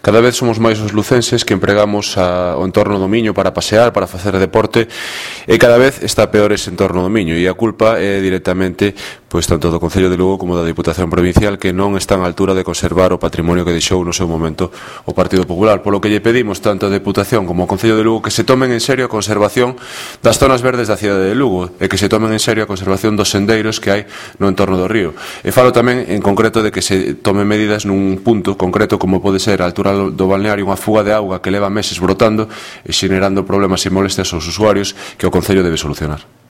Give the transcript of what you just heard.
Cada vez somos máis os lucenses que empregamos o entorno do Miño para pasear, para facer deporte, e cada vez está peor ese entorno do Miño, e a culpa é directamente tanto do Concello de Lugo como da Diputación Provincial, que non están á altura de conservar o patrimonio que deixou no seu momento o Partido Popular, polo que lle pedimos tanto a Diputación como ao Concello de Lugo que se tomen en serio a conservación das zonas verdes da cidade de Lugo e que se tomen en serio a conservación dos sendeiros que hai no entorno do río. E falo tamén en concreto de que se tomen medidas nun punto concreto como pode ser a altura do balneario, unha fuga de auga que leva meses brotando e xenerando problemas e molestias aos usuarios que o Concello debe solucionar.